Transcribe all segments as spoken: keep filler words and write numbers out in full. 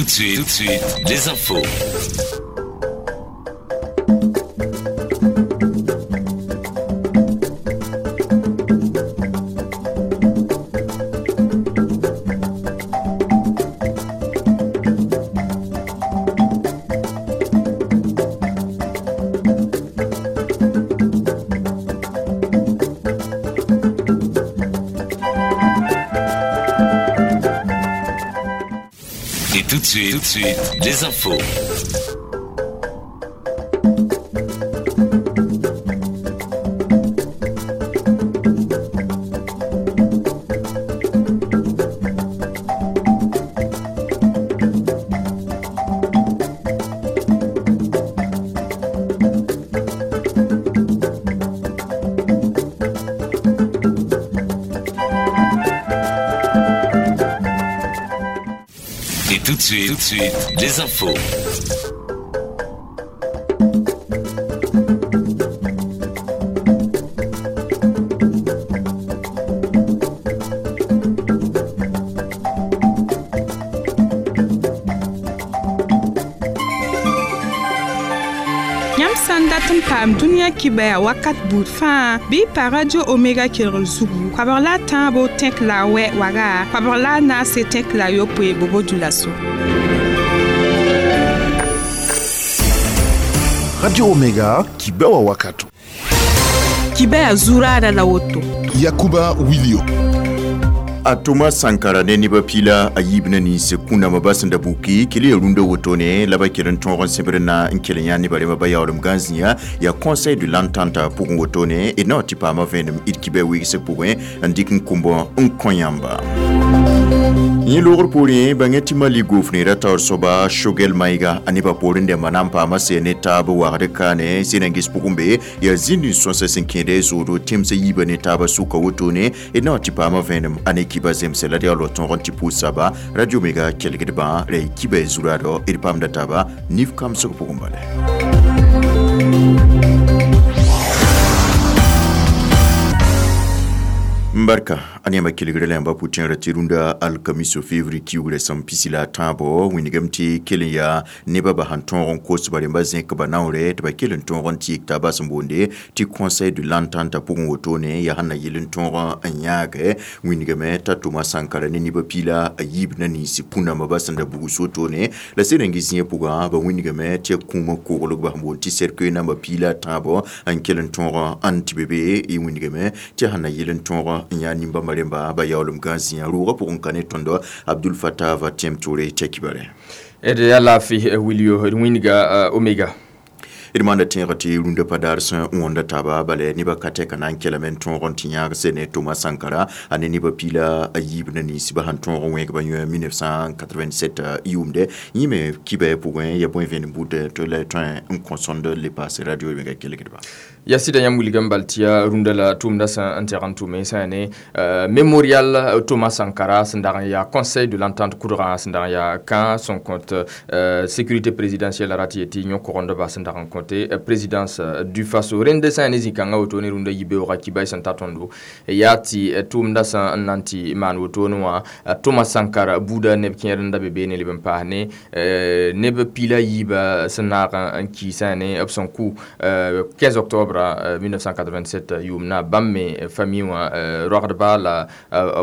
de suite, tout de suite, les infos. Tout de suite, tout de suite, les infos. Tout de suite, tout de suite, les infos. Yãmb sã n dat n paam dũniyã kibaya wakat buud fãa bɩ y pa Radio Omega kelgr zugu koabg la a tãabo tẽk la a wɛ waga koabg la a naase tẽk la a yopoe bobo dulaso. Radio Omega kibewa wakato. Kibaya zurada la woto. Yakuba Wilio. A Thomas Sankara ne neba pila a yiib na nins kũndãmbã ba sẽn da buki kell ya rũndã wotone la ba kell n tõog n sẽbd na n kell yã nebã rẽmbã ba yaoolem gã zĩa yaa Conseil de l'entente pʋgẽ wotone d na wa tɩ paama vẽenem d kibã wegsg pʋgẽ n dɩk n kʋmb n kõ yãmba. Yẽ loogr poorẽ bãngẽ tɩ Mali gofneera taoor soaba Choguel Maïga a nebã poorẽ dẽmbã na n paama sɛ ne taab wagd kaane sẽn-gis pʋgẽ be yaa zĩnd n sõsa sẽn kẽede zoodo tẽmsã yiibã ne taabã sʋka wotone d na wa tɩ paama vẽenem a ne kiba zemse la d yaa lo tõog n tɩ pʋʋs-saba Radio Omega kelgdbã ra y kiba zuraado d paamda taaba nif kamsg pʋgẽ bala. Mbarka a yãmba kelgre la yãmba pʋ-tẽerã tɩ rũndã alkamiso février kiugrã sẽn pisi la a tãabo wĩnigame tɩ kell n yaa nebã ba sẽn tõog n kos ba rẽmba zẽk ba naoore tɩ ba kell n tõog n tɩɩg taabã sẽn boonde tɩ Conseil de l'entente pʋgẽ wotone yaa sẽn na yɩl n tõog n yãage wĩnigame t'a Thomas Sankara ne nebã piila a yiib na nins kũndãmbã ba sẽn da bugs wotone la sẽn n gis yẽ pʋgã ba wĩnigame tɩ ya kũumã koglg ba sẽn boond tɩ cercueil namba piila a tãabo n kell n tõog n tɩ be be y wĩnigame tɩ sẽn na yɩl n tõog n yaa nimbãmbã rẽmba ba yaoolem gã zĩa roogã pʋgẽ ka ne tõndo Abdul Fattah va tẽm tʋʋre t'a kibare. D yaa laafɩ Wilio d wĩnga Omega. D maanda tẽegã tɩ rũndã pa daar sẽn wõnda taaba bala nebã ka tɛka na n kelame n tõog n tɩ yãag sɛ ne Thomas Sankara a ne nebã piila a yiib na ninsbã sẽn tõog n wẽgba yõ mille neuf cent quatre-vingt-sept yʋʋmde yẽ me kibã pʋgẽ ya bõe vẽenem bud tɩ la tõe n kõ sõnd le paase Radio Omega kelgdba. Ya sɩda yãmb wilgame bal tɩ yaa rũndã la tʋʋmdã sẽn n tɛg n tʋme sã yaa ne mémorial Thomas Sankara sẽn dag n yaa Conseil de l'entente kʋdgã sẽn dag n yaa kã sẽn kõt sécurité présidentielle rat yetɩ yõ-kogend-ba sẽn dag n kõte présidence du Faso rẽnd sã yaa ne zĩ-kãngã wotone rũndã yibeoogã kibay sẽn ta tõndo yaa tɩ tʋʋmdã sẽn n na n tɩ maan wotone wã Thomas Sankara buudã neb kẽer n da be beene leb n paas ne neb piila yiibã sẽn naag n ki sã yaa ne b sẽn kʋ quinze octobre mille neuf cent quatre-vingt-sept yʋʋmna bãmb me famille wã roagdba la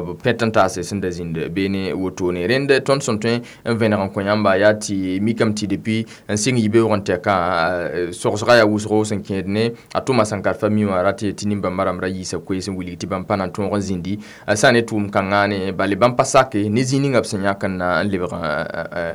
b pẽt n taase sẽn da zĩnd beene wotone rẽnd tõnd sẽn tõe n vẽneg n kõ yãmba yaa tɩ mikame tɩ depuis n sɩng yibeoog n tɛkã sogsga yaa wʋsgo sẽn kẽed ne a Thomas Sankara famille wã rat tɩ nin-bãmba rãmb ra yiisa koees n wilg tɩ bãmb pa na n tõog n zĩndi sã ne tʋʋm-kãngã ne bale bãmb pa sake ne zĩ ninga b sẽn yãk n na n lebg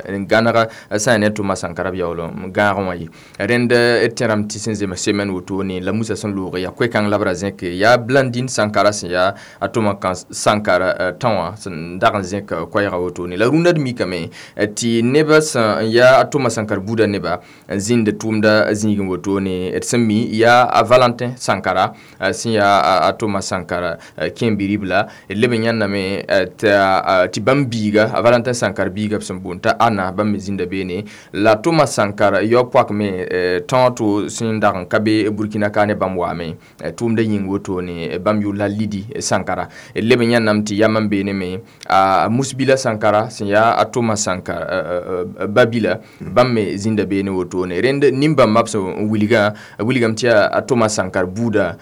n gãneg sã ne Thomas Sankara b yaool n gãag wã ye rẽnd d tẽrame tɩ sẽn zems semaine wotone la Musa sẽn loog yaa koe-kãng la b ra zẽke yaa Blandine Sankara sẽn yaa a Thomas Sankara tão wã sẽn dag n zẽk koɛɛgã wotone la rũndã d mikame tɩ nebã sẽn yaa a Thomas Sankara buudã nebã n zĩnd tʋʋmda zĩigẽ wotone d sẽn mi yaa a Valentin Sankara sẽn yaa a Thomas Sankara kẽen-bi-ribla d leb n yãnname tɩ bãmb biiga a Valentin Sankara biiga b sẽn boond t'a Anna bãmb me zĩnda beene la Thomas Sankara yao poak me tão to sẽn dag n ka be Burkina ka ne bãmb waame tʋʋmda yĩng wotone bãmb yʋʋr la Lidi Sankara leb n yãnname tɩ yam n beene me a Musbila Sankara sẽn yaa a Thomas Sankara babila bãmb me zĩnda beene wotone rẽnd nin-bãmba b sẽn wilgã wilgame tɩ yaa a Thomas Sankara buuda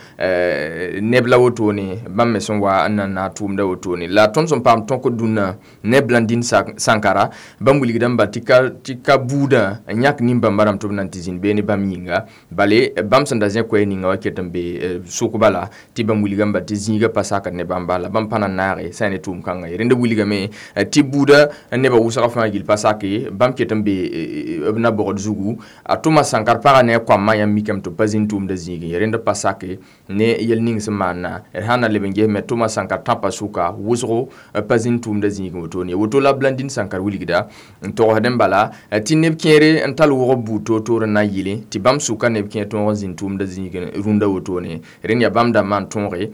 neb la wotone bãmb me sẽn wa n na n naag tʋʋmda wotone la tõnd sẽn paam tõk dũnna ne Blandine Sankara bãmb wilgdame ba tɩ ka buudã n yãk nin-bãmba rãmb tɩ b na n tɩ zĩnd beene bãmb yĩnga bale bãmb sẽn da zẽ koɛɛg ninga wa ket n be sʋkba la tɩ bãmb wilgame ba tɩ zĩigã pa sakd ne bãmba la bãmb pa na n naage sã n ne tʋʋm kãngã ye rẽnd wilgame tɩ buudã nebã wʋsga fãa gill pa sake bãmb ket n be b na-bogd zugu a Thomas Sankara pagã ne a koamã yãmb mikame tɩ b pa zĩnd tʋʋmda zĩigẽ ye rẽnd pa sake ne yɛl ning sẽn maana d sã n na leb n ges me Thomas Sankara tãpã sʋka wʋsgo pa zĩnd tʋʋmda zĩigẽ wotone woto la Blandine Sankara wilgda n togsd n bala tɩ neb kẽere n tall wʋgb buud toor-toor n na n yɩle tɩ bãmb sʋka neb kẽer tõog n zĩnd tʋʋmda zĩigẽ rũndã wotone rẽnd yaa bãmb dãmbã n tõoge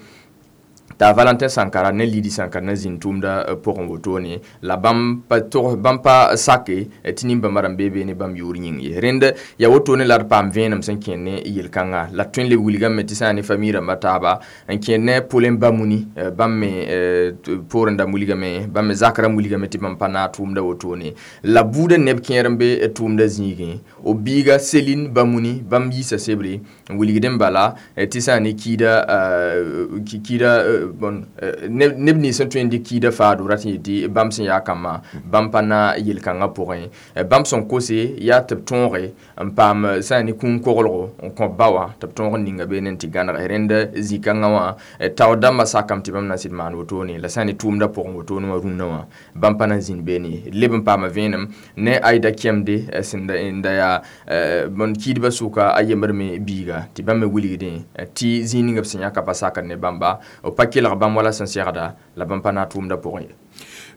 t'a Valentin Sankara ne Lidi Sankara na zĩnd tʋʋmda pʋgẽ wotone la bãmb pa tog bãmb pa sake tɩ nin-bãmba rãmb bee beene bãmb yʋʋr yĩng ye rẽnd yaa wotone la d paam vẽenem sẽn kẽer ne yel-kãnga la tõe n leb wilgame tɩ sã n ne famille rãmbã taaba n kẽer ne Paulin Bamuni bãmb me poorẽ dãmb wilgame bãmb me zak rãmb wilgame tɩ bãmb pa naag tʋʋmda wotone la buudã neb kẽer n be tʋʋmda zĩigẽ b biiga Céline Bamuni bãmb yiisa sebre n wilgdẽ bala tɩ sã n ne kiida kiida bon neb nins sẽn tõe n dɩk kiida faado rat n yetɩ bãmb sẽn yaa kambã bãmb pa na yel-kãngã pʋgẽ bãmb sẽn kose yaa tɩ b tõoge n paam sã n ne kũum koglgo n kõ ba wã tɩ b tõog n ninga beene n tɩ gãneg rẽnd zĩ-kãngã wã taoor dãmbã sakame tɩ bãmb na n sɩd maan wotone la sã n ne tʋʋmda pʋgẽ wotone wã rũnnã wã bãmb pa na n zĩnd beene leb n paama vẽenem ne Aïda Kɛmde sẽn da yaa bõn kiidbã sʋka a yembr me biiga tɩ bãmb me wilgdẽ tɩ zĩig ning b sẽn yãka pa sakd ne bãmba b pa kelg bãmb wala sẽn segda la bãmb pa na tʋʋmda pʋgẽ ye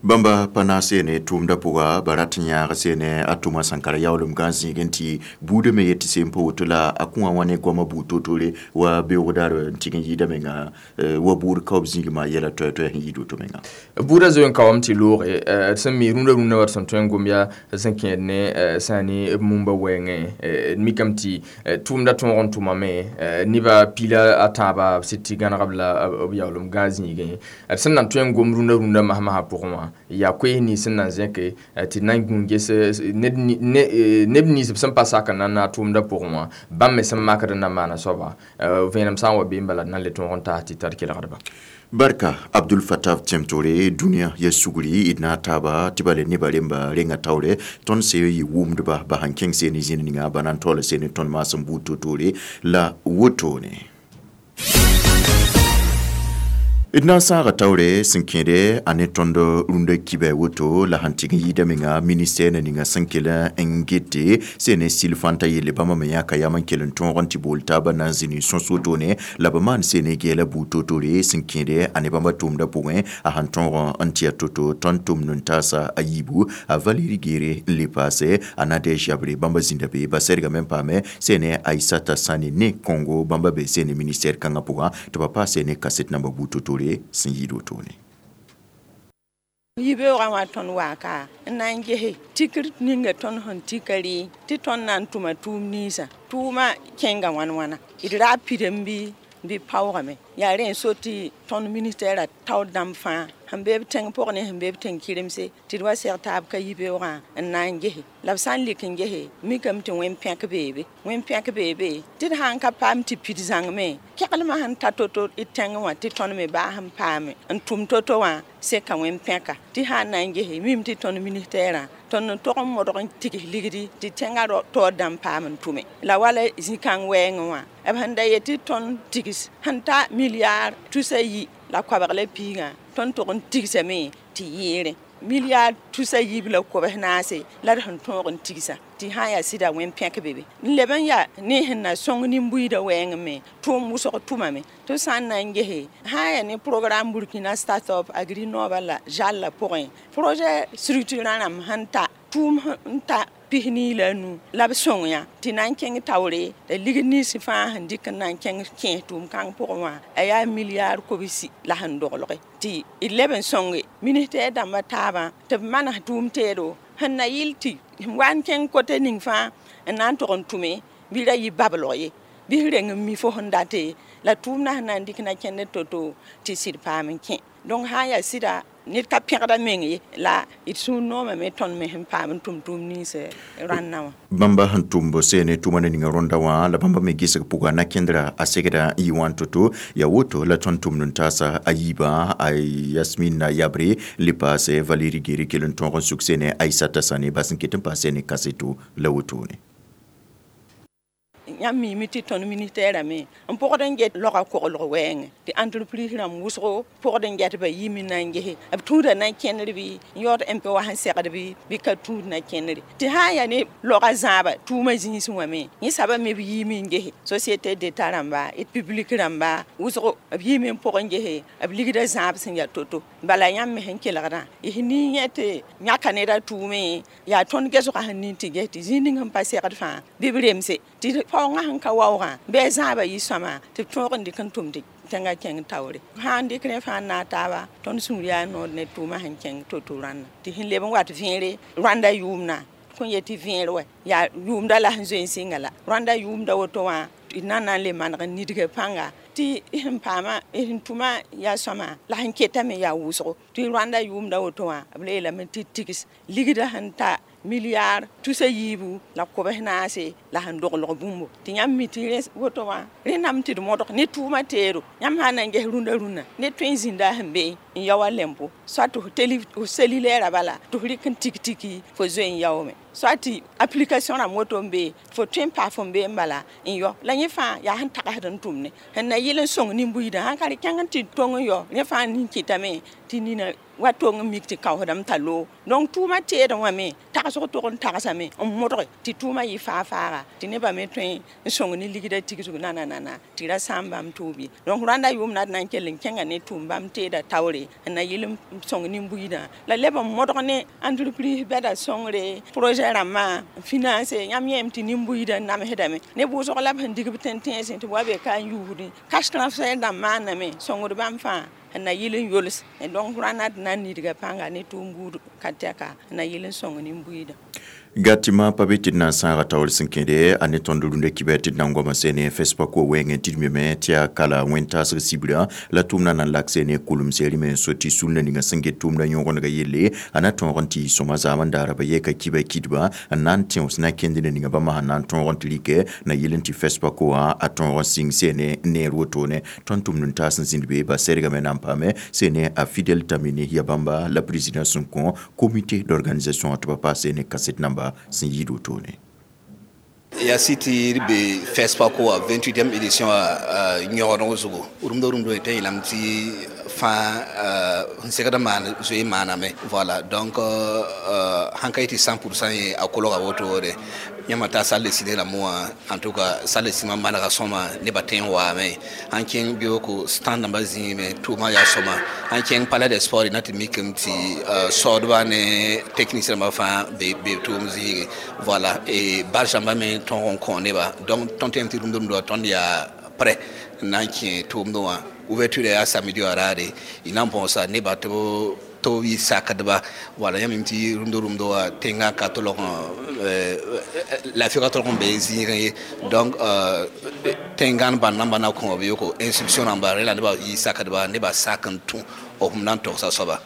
bãmba pa na seene tʋʋmda pʋga ba rat n yãag seene a Thomas Sankara yaoolem gã zĩigẽ tɩ buudã me yetɩ seen pa woto la a kũwã wã ne goamã buud to-tore wa beoogdaar n tɩg n yɩɩda menga wa buud kaoob zĩigmã yɛla toɛ-toɛ sẽn yɩɩd woto menga buudã zoe n kaoame tɩ looge d sẽn mi rũndã rũndã wa d sẽn tõe n gom yaa sẽn kẽed ne sã n ne b mumba wɛɛngẽ d mikame tɩ tʋʋmda tõog n tʋmame nebã pila a tãabã b sɩd tɩ gãneg b la b yaoolem gã zĩigẽ d sẽn na n tõe n gom rũndã rũndã masmasã pʋgẽ wã yaa koees nins sẽn na n zẽke tɩ na n gũ ges neb nins b sẽn pa sak n na n naag tʋʋmda pʋgẽ wã bãmb me sẽn makd n na n maana soaba vẽenem sã n wa bee n bala d na n le tõog n taas tɩ tar kelgdba Barka Abdul Fattah tẽm-tore dũniyã ya sugri d na taaba tɩ ba le nebã remba renga taoore tõnd se yɩ wʋmdba ba sãn kẽng seene zĩnd ninga ba na n taoola seene tõnd maasem buud to-toore la wotone d na n sãaga taoore sẽn kẽede a ne tõnd rũndã kibɛ woto la sãn tɩg n yɩɩda menga ministɛr na ninga sẽn kell n gete sẽn ne sil fãnta yelle bãmba me yãka yam n kell n tõog n tɩ bool taabã na n zĩni sõs wotone la b maan sene gɛɛla buud to-toore sẽn kẽede a ne bãmba tʋʋmdã pʋgẽ a sãn tõog n tɩ ya to-to tõnd tʋmd n taasa a yiibu a Valérie Guéré n le paase a Nadège Yabré bãmba zĩnda be ba sɛrgame n paame sẽne Aïssata Sani ne Congo bãmba be sene ministère kãngã pʋgã tɩ ba paase ne kaset namba buud to-toore sẽn yɩɩd wotone yibeoogã wã tõnd waaka n na n gese tikr ninga tõnd sẽn tika rɩ tɩ tõnd na n tʋma tʋʋm ninsã tʋʋmã kẽnga wãn wãna d ra pidem bɩ bɩ paoogame yaa rẽ n so tɩ tõnd ministɛɛrã taoor dãmb fãa sẽn be b tẽng pʋgẽ ne sẽn be b tẽng kɩremse tɩ d wa seg taab ka yibeoogã n na n gese la b sã n lik n gese mikame tɩ wẽn-pẽk beebe wẽn-pẽk beebe tɩ d sã n ka paam tɩ pid zãngme kɛglmã sẽn ta to-to d tẽngẽ wã tɩ tõnd me baa sẽn paame n tʋm to-to wã seka wẽn-pẽka tɩ sã n na n gese mim tɩ tõnd ministɛɛrã tõnd n tog n modg n tigs ligdi tɩ tẽngã taoor dãmb paam n tʋme la wala zĩ-kãng wɛɛngẽ wã b sẽn da yet tɩ tõnd tigs sẽn ta milliard tusa yi la koabg la piigã tõnd tog n tigsame tɩ yɩɩrẽ milliard tusa yiib la kobs naase la d sẽn tõog n tigsa tɩ sã n yaa sɩda wẽn-pẽk be be n leb n yaa ne sẽn na sõng nin-buiidã wɛɛngẽ me tʋʋm wʋsg tʋmame tɩ sã n na n gese sã n yaa ne programme Burkina Startup Agrinova la zalla pʋgẽ projet structurant rãmb sẽn ta tʋʋm n ta pisnii la a nu la b sõng yã tɩ na n kẽng taoore la ligd nins fãa sẽn dɩk n na n kẽng kẽes tʋʋm-kãng pʋgẽ wã a yaa milliard kobsi la sẽn doglge tɩ d leb n sõnge ministɛɛr dãmbã taabã tɩ b manes tʋʋm teedo sẽn na yɩl tɩ wa n kẽng kote ning fãa n na n tog n tʋme bɩ ra yɩ bablg ye Bɩ reng n mi fo sẽn date la tʋʋmdã sẽn na n dɩk na kẽnd to-to tɩ sɩd paam n kẽ donc sã n yaa sɩda ned ka pẽgda meng ye la d sũur noomame tõnd me sẽn paam n tʋm tʋʋm nins rãnnã wã bãmba sẽn tʋmb seene tʋma ne ninga rõnda wã la bãmba me gesg pʋga na-kẽndra a segda n yɩ wã to-to yaa woto la tõnd tʋmd n taasa a yiibã a Yasmina Yabre le paase Valérie Gere kell n tõog n suk seene Aïssata Sane bas n ket n paas seene kaseto la wotone yãmb miime tɩ tõnd ministɛɛrã me n pʋgd n get loga koglg wɛɛngẽ tɩ entreprise rãmb wʋsgo pʋgd n get ba yim n na n gese b tũuda na kẽndr bɩ n yaood M P wa sẽn segd bɩ bɩ ka tũud na kẽndre tɩ sã n yaa ne loga zãaba tʋʋma zĩisẽ wã me yẽ saba me b yiime n gese société d'état rãmba d public rãmba wʋsgo b yiime n pʋg n gese b ligda zãab sẽn yaa to-to bala yãmb me sẽn kelgdã y ning yẽ tɩ yãka neda tʋʋme yaa tõnd gesgã sẽn ning tɩ ges tɩ zĩig ning sẽn pa segd fãa bɩ b remse tɩ paoongã sẽn ka waoogã bɩ a zãabã yɩ sõama tɩ b tõog n dɩk n tʋm tɩ tẽngã kẽng taoore sã n dɩk rẽ fãa n naag taaba tõnd sũur yaa noor ne tʋʋmã sẽn kẽng to-to rãnda tɩ sẽn leb n wat vẽere rãnda yʋʋmdã kõn yet tɩ vẽer wɛ yaa yʋʋmda la sẽn zoe n sɩnga la rãnda yʋʋmda woto wã d na n na n le maneg n nidga pãnga tɩ sẽn paama sẽn tʋma yaa sõama la sẽn ketame yaa wʋsgo tɩ rãnda yʋʋmda woto wã b le yeelame tɩ tigs ligda sẽn ta milliard tusa yiibu la kobs naase la sẽn doglg bũmbo tɩ yãmb mi tɩ rẽ woto wã rẽndame tɩ d modg ne tʋʋma teedo yãmb sã n na n ges rũndã rũnnã ned tõe n zĩnda sẽn be n yao a lempo soit tɩ f cellulaire bala tɩ f rɩk n tik tiki fo zoe n yaoome soit tɩ application rãmb woto n be fo tõe n paa fo n be n bala n yao la yẽ fãa yaa sẽn tagsd n tʋmne sẽn na yɩl n sõng nin-buiidã sãn ka rɩ kẽng n tɩ tong n yao rẽ fãa nin kɩtame tɩ nina wa tong n mik tɩ kaoosdame t'a loog donc tʋʋma teedẽ wã me tagsg tog n tagsame n modge tɩ tʋʋma yɩ faa-faaga tɩ nebã me tõe n sõng ne ligda tigsg nananana tɩ ra sãam bãmb tʋʋb ye donc rãnda yʋʋmda d na n kell n kẽnga ne tʋʋm bãmb teeda taoore n na yɩl n sõng nin-buiidã la leb n modg ne entreprise bɛda sõngre projet rãmbã n finance yãmb yẽem tɩ nin-buiidã n namsdame ne wʋsg la b sẽn dig b tẽn-tẽensẽ tɩ b wa be ka n yuusdẽ cash transfert dãmb maaname sõngd bãmb fãa n na yɩl n yols donc rãnda d na n nidga pãnga ne tʋʋm buud ka tɛka n na yɩl n sõng nin-buiidã gatima pa be tɩ d na n sãaga taoor sẽn kẽede a ne tõnd rũndã kibɛ tɩ d na n goama seene FESPACO wɛɛngẽ tɩ d meme tɩ yaa kala wẽn-taasg sibra la tʋʋmdã na n lak seene kʋlem seerime n so tɩ sulnã ninga sẽn get tʋʋmdã yõgenega yelle a na tõog n tɩ yɩ sõma zaam n daara ba yɛka kibɛ kidba n na n tẽos na kẽnd ne ninga bãmba sẽn na n tõog n tɩ rɩkɛ na yɩl n tɩ FESPACO wã a tõog n sɩng seene neer wotone tõnd tʋmd n taas n zĩnd be ba sɛrgame na n paame seene a Fidèle Tamini ya bãmba la président sẽn kõ comité d'organisation tɩ ba paas seene kaset namba sẽn yɩɩd wotone ya siti be FESPACO a vingt-huitième édition a yõgdg zugu rũmda rũmda tɩ yeelame tɩ fãa n segd maan zoe maaname voilà donc sãn ka yetɩ cent pour cent ye a kolga wotode yãmba taa salle de ciné rãmbã wã en tout cas salle de cinéma manega sõma nebã tõe n waame sãn kẽng beooko stand rãmbã zĩime tʋʋmã yaa sõma sãn kẽng palais des sports na tɩ mikame tɩ saoodba ne technicien rãmbã fãa be tʋʋm zĩige voilà et barge rãmbã me tõog n kõ neba donc tõnd tẽem tɩ rũmda rũmda tõnd yaa prêt n na n kẽ tʋʋmdẽ wã ouverture yaa samedi wã raare y na n põosa neba tɩ b tɩ b yɩ sakdba wala yãmb tɩ rũmda rũmda wã tẽngã ka tolg laafɩga tolg n be zĩigẽ ye donc tẽngãn bãnd namba na kõ b yoko instruction rãmba rẽ la nebã yɩ sakdba nebã sak n tũ b na n togsa soaba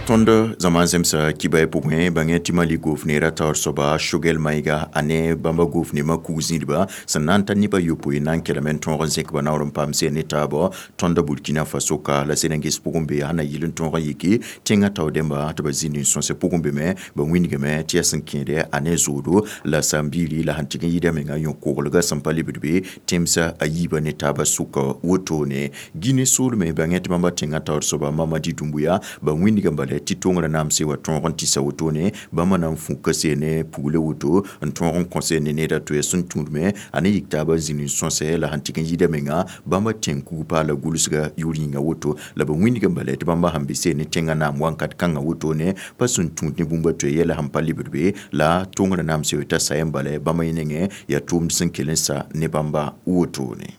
Tõnd zãma zemsa kibã pʋgẽ bãngẽ tɩ Mali gofneera taoor soaba Choguel Maïga a ne bãmba gofnemã kug zĩidba sẽn na n ta nebã yopoe na n kelme n tõog n zẽk ba naoor n paam seen ne taabã tõnda Burkina Faso ka la sẽn n ges pʋgẽ be sẽn na yɩl n tõog n yiki tẽngã tao dẽmba tɩ ba zĩnd n sõse pʋgẽ be me ba wĩndgame tɩ yaa sẽn kẽede a ne zoodo la sãn-biiri la sẽn tɩg n yɩɩda menga yõ-koglgã sẽn pa lebd be tẽmsã a yiibã ne taabã sʋka wotone Guinée soolme bãngẽ tɩ bãmba tẽngã taoor soaba Mamadi Doumbouya ba wĩndgã bala tɩ tõngrã naamse wa tõog n tɩsa wotone bãmba na n fũka seene pugle woto n tõog n kõ seene needa to ya sẽn tũudme a ne yik taabã zĩnd n sõsɛ la sẽn tɩg n yɩɩda menga bãmba tẽng kug paala gʋlsga yʋʋr yĩnga woto la ba wĩndgã bala tɩ bãmba sẽn be seene tẽngã naam wãnkat kãngã wotone pa sẽn tũud ne bũmba to yɛla sẽn pa lebd be la tõngrã naamse t'a sayẽ bala bãmba yẽ nengẽ yaa tʋʋmd sẽn kell n sa ne bãmba wotone.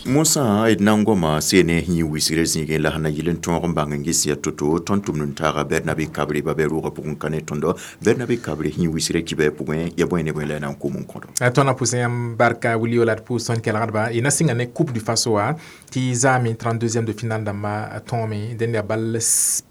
Mosã d na n goma seene yĩ wisgrã zĩigẽ la sẽn na yɩl n tõog n bãng n ges yaa to-to tõnd tʋmd n taaga Bɛrnabe Kabre ba bɛ roogã pʋgẽ ka ne tõndo Bɛrnabe Kabre yĩ wisgrã kibɛ pʋgẽ ya bõe ne bõe la y na n kom n kõdo. Tõnd na pʋsẽ yãmb barka wilio la d pʋʋs tõnd kelgdba y na sɩnga ne Coupe du Faso wa tɩ zaame trente-deuxième de finale dãmba tõome dẽnd yaa bal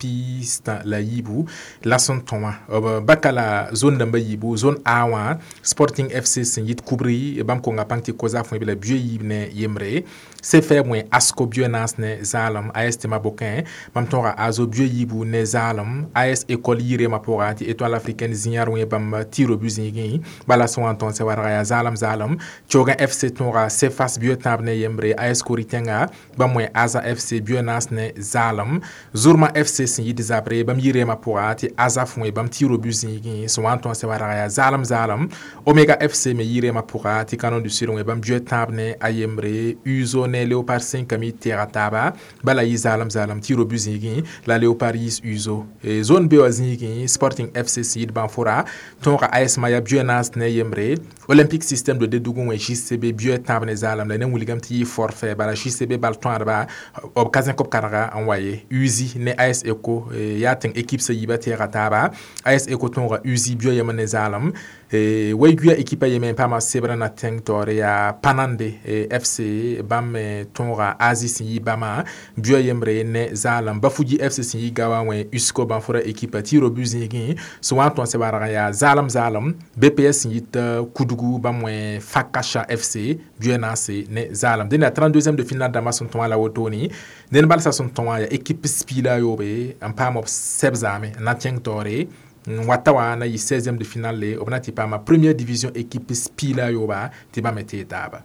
pistã la yiibu la sẽn tõ wã b baka la zone dãmba yiibu. Zone A wã, Sporting F C sẽn yit kubri bãmb konga pãng tɩ Kozaf wẽ la bio yiib ne yembre, C F R wẽ ASCO bio naas ne zaalem, A S Tema bokẽ bãmb tõoga ASO bio yiibu ne zaalem, A S École yirema pʋga tɩ Étoile Africaine zĩyãr wẽ bãmb tiro bu zĩigẽ bala sẽn wa n tõnd sã warga yaa zaalem zaalem, Tsoogã F C tõoga Cefas bio tãab ne yembre, A S Kori tẽnga bãmb wẽ Aza F C bio naas ne zaalem, Zurma F C sẽn yit zabre bãmb yirema pʋga tɩ Azaf wẽ bãmb tiro bu zĩigẽ sẽn wa n tõnd sã warga yaa zaalem zaalem, Omega F C me yirema pʋga tɩ Canon du Sud wẽ bãmb bio tãab ne a yembre, Uzo ne Léopard cinq mi tɛɛga taaba bala yɩ zaalem zaalem tiro bu zĩigẽ la Léopard yiis Uzo. Zone B wã zĩigẽ, Sporting F C sẽn yit Bãnfora tõoga A S Maya bio naas ne yembre, Olympique Système de Dédougou wẽ J C B bio tãab ne zaalem la ne wilgame tɩ yɩ forfait bala J C B bal tõadba b ka zẽk b karga n wa ye. Uzi ne A S Eco yaa tẽng équipe sã yiibã tɛɛga taaba, A S Eco tõoga Uzi bio yem ne zaalem. Way-guya équipe a yeme n paama sebrã na tẽng taoore yaa Panande F C bãmb me tõoga Azi sẽn yi bãmã bio yembre ne zaalem, Bafuji F C sẽn yi Gawa wẽ USCO Bãnfora équipe tɩ ro bu zĩigẽ sẽn wa n tõn sɛ barg yaa zaalem zaalem, B P S sẽn yit Kudugu bãmb wẽ Fakasha F C bio naase ne zaalem. Dẽnd yaa trente-deuxième de finale dãmbã sẽn tõa la wotone. Ned balsã sẽn tõa yaa équipe spila yoobe n paam b sɛb zaame n na kẽng taoore n wata wã na yɩ seizième de finale b na tɩ paama première division équipe spila yooba tɩ bãmb me tee taaba.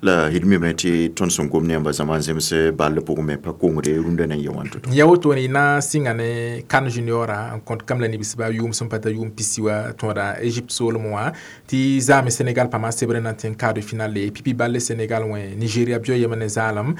La d mime tɩ tõnd sẽn gom ne yãmba zãma n zems ball pʋgẽ me pa kongre rũndã na n yã wãn to. Ya wotone na sɩnga ne CAN junior n kõt kam la nibsba yʋʋm sẽn pa ta yʋʋm pisi wa tõoda Égypte soolem wã tɩ zaame Sénégal pãma sebrã na n tẽ quart de finale pipi balle Sénégal wẽ Nigéria bio yem ne zaalem,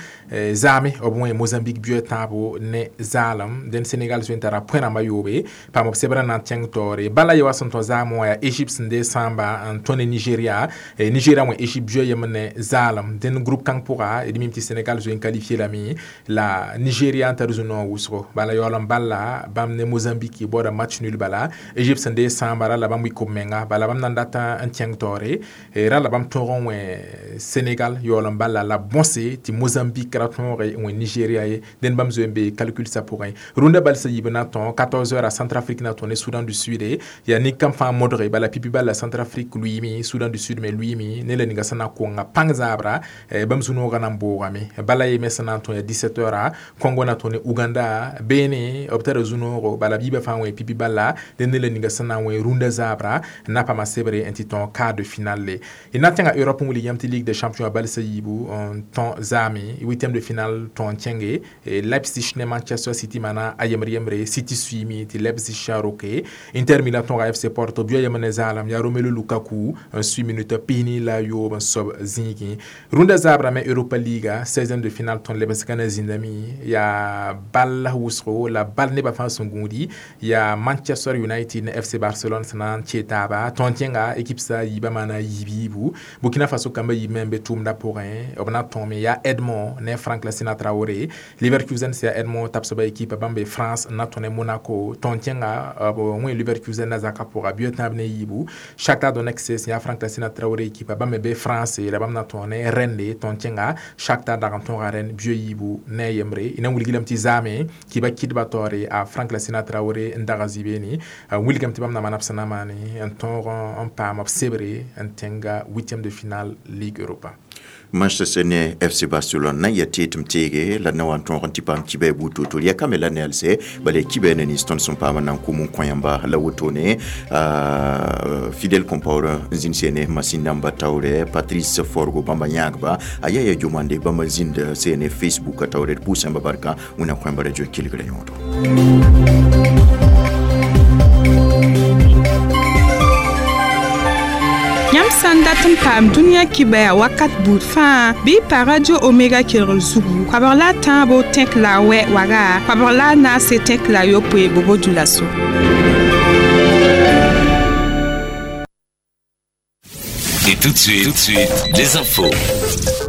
zaame b wẽ Mozambique bio tãabo ne zaalem. Dẽnd Sénégal zoe n tara point rãmbã yoobe paam b sebrã na n kẽng taoore bala ye wa sẽn tõ zaam wã yaa Égypte sẽn dee sãamba n tõ ne Nigéria, Nigéria wẽ Égypte bio yem ne zaalem. Dẽnd groupe kãng pʋga d mim tɩ Sénégal zoe n qualifié lame la Nigéria n tar zu-noog wʋsgo bala yaool n balla bãmb ne Mozambique baooda match nul bala Égypte sẽn dee sãamba ra la bãmb wɩ kob-menga bala bãmb na n dat n kẽng taoore ra la bãmb tõog n wẽ Sénégal yaool n balla la bõse tɩ Mozambique ra tõoge n wẽ Nigéria ye. Dẽnd bãmb zoe n be calcul sa pʋgẽ. Rũndã balsã yiib na tõ quatorze heures a Centrafrique na tõ ne Soudan du Sud yaa nin-kam fãa modge bala pipi balla Centrafrique lʋɩɩme, Soudan du Sud me lʋɩɩme ne la ninga sẽn na konga pãng zaabra bãmb zu-noogã na n boogame bala ye me sẽn na n tõe ya dix-sept heures Congo na tõ ne Uganda beene b tara zu-noogo bala b yiibã fãa wẽ pipi balla dẽnd ne la ninga sẽn na n wẽ rũndã zaabra n na paama sebre n tɩ tõ quart de finale. Y na tẽnga Europe n wilg yãmb tɩ Ligue des champions a balsã yiibu n tõ zaame huitième de finale tõ n kẽnge Leipzig ne Manchester City mana a yembre yembre City suiime tɩ Leipzig a roke. Inter Milan tõoga F C Porto bio yem ne zaalem yaa Romelu Lukaku n sui minute pisni la yoob n soab zĩigẽ. Rũndã zaabra me Europa Liga seizième de finale tõnd lebsgã na zĩndame yaa bal wʋsgo la bal nebã fãa sẽn gũudi yaa Manchester United ne F C Barcelone sẽn na n kee taaba tõnd kẽnga équipe sa yiibã maana yiib yiibu. Burkina Faso kambã yiib me n be tʋʋmdã pʋgẽ b na tõome yaa Edmond ne Frank Lassina Traoré. Leverkusen sẽn yaa Edmond tabsba équipe bãmb be France n na tõ ne Monaco tõnd kẽnga b wẽ Leverkusen na zakã pʋga bio tãab ne yiibu. Shakhtar Donetsk sẽn yaa Frank Lassina Traoré équipe bãmb me be France la bãmb na tõ ne Rennes tõnd kẽnga Shakhtar dag n tõoga Rennes bio yiibu ne yembre. Y na wilg lame tɩ zaame kɩba kɩdba taoore a Frank Lassina Traoré n daga zĩ-beene wilgame tɩ bãmb na maan b sẽn na maane n tõog n paam b sebre n tẽnga huitième de finale Ligue Europa. Manchester ne F C Barcelone na ya tɩ tɩ m teege la na wa n tõog n tɩ paam kibɛ buud to-to ya kame la nelse bala kibɛ ne nins tõnd sẽn paam n na n kom n kõ yãmba la wotone. Fidèle Compaoré n zĩnd sene masin namba taoore Patrice Forgo bãmba yãagba a yaa ya jomande bãmba zĩnd sene Facebook a taoore d pʋʋs yãmba barka wẽnnaam kõ yãmba radio kelgra yõodo. Yãmb sã n dat n paam dũniyã kibɛa wakat buud fãa bɩ y pa Radio Omega kelgr zugu koabg la a tãabo tẽk la a wɛ waga koabg la a naase tẽk la a yopoe bobo dulaso. Et tout de suite, tout de suite, les infos.